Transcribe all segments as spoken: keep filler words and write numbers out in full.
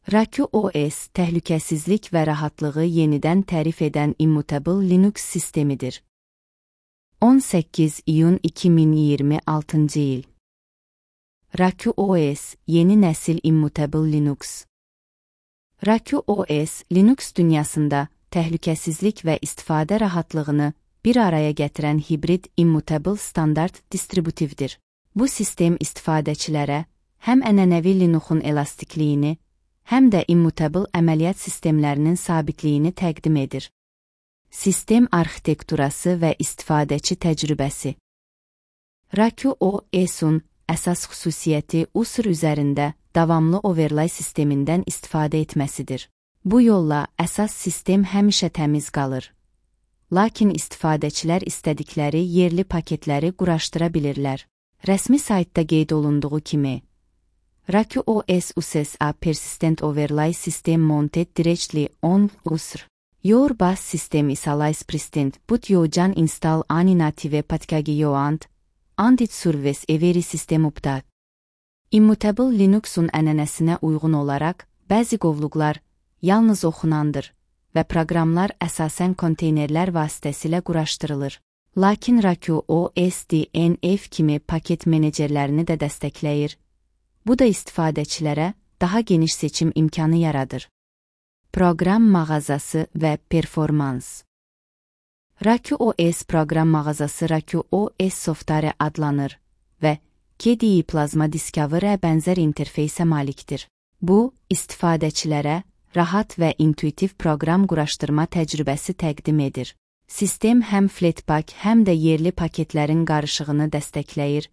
RakuOS, təhlükəsizlik və rahatlığı yenidən tərif edən Immutable Linux sistemidir. on səkkiz iyun iki min iyirmi altıncı il. RakuOS, yeni nəsil Immutable Linux. RakuOS, Linux dünyasında təhlükəsizlik və istifadə rahatlığını bir araya gətirən hibrid Immutable standart distributivdir. Bu sistem istifadəçilərə həm ənənəvi Linuxun elastikliyini, həm də Immutable əməliyyat sistemlərinin sabitliyini təqdim edir. Sistem arxitekturası və istifadəçi təcrübəsi. RakuOS-un əsas xüsusiyyəti Usr üzərində davamlı overlay sistemindən istifadə etməsidir. Bu yolla əsas sistem həmişə təmiz qalır. Lakin istifadəçilər istədikləri yerli paketləri quraşdıra bilirlər. Rəsmi saytda qeyd olunduğu kimi, RakuOS uses a persistent overlay system mounted directly on Usr. Your bus system is always present, but you can install any native package you want, and it serves every system update. Immutable Linux'un ənənəsinə uyğun olaraq, bəzi qovluqlar yalnız oxunandır və proqramlar əsasən konteynerlər vasitəsilə quraşdırılır. Lakin RakuOS D N F kimi paket menecerlərini də dəstəkləyir. Bu da istifadəçilərə daha geniş seçim imkanı yaradır. Proqram mağazası və performans. RakuOS proqram mağazası RakuOS Software adlanır və K D E Plasma Discover'ə bənzər interfeysə malikdir. Bu, istifadəçilərə rahat və intuitiv proqram quraşdırma təcrübəsi təqdim edir. Sistem həm Flatpak, həm də yerli paketlərin qarışığını dəstəkləyir.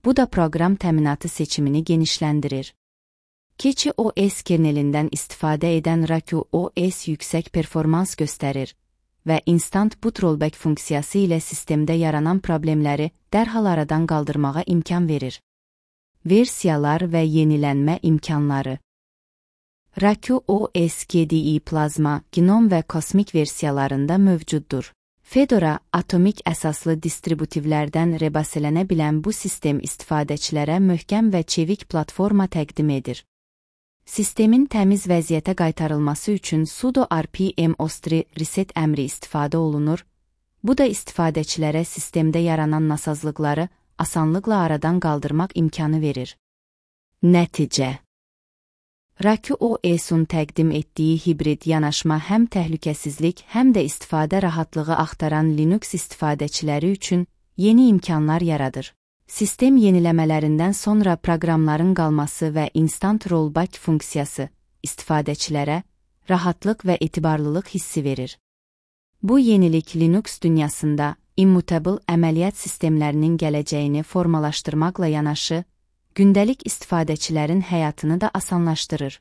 Bu da proqram təminatı seçimini genişləndirir. KecheOS kernelindən istifadə edən RakuOS yüksək performans göstərir və Instant Boot Rollback funksiyası ilə sistemdə yaranan problemləri dərhal aradan qaldırmağa imkan verir. Versiyalar və yenilənmə imkanları. RakuOS K D E Plasma, Gnome və Cosmic versiyalarında mövcuddur. Fedora, atomik əsaslı distributivlərdən rebaselənə bilən bu sistem istifadəçilərə möhkəm və çevik platforma təqdim edir. Sistemin təmiz vəziyyətə qaytarılması üçün sudo rpm ostri reset əmri istifadə olunur. Bu da istifadəçilərə sistemdə yaranan nasazlıqları asanlıqla aradan qaldırmaq imkanı verir. Nəticə. RakuOS-un təqdim etdiyi hibrid yanaşma həm təhlükəsizlik, həm də istifadə rahatlığı axtaran Linux istifadəçiləri üçün yeni imkanlar yaradır. Sistem yeniləmələrindən sonra proqramların qalması və Instant Rollback funksiyası istifadəçilərə rahatlıq və etibarlılıq hissi verir. Bu yenilik Linux dünyasında Immutable əməliyyat sistemlərinin gələcəyini formalaşdırmaqla yanaşı, gündəlik istifadəçilərin həyatını da asanlaşdırır.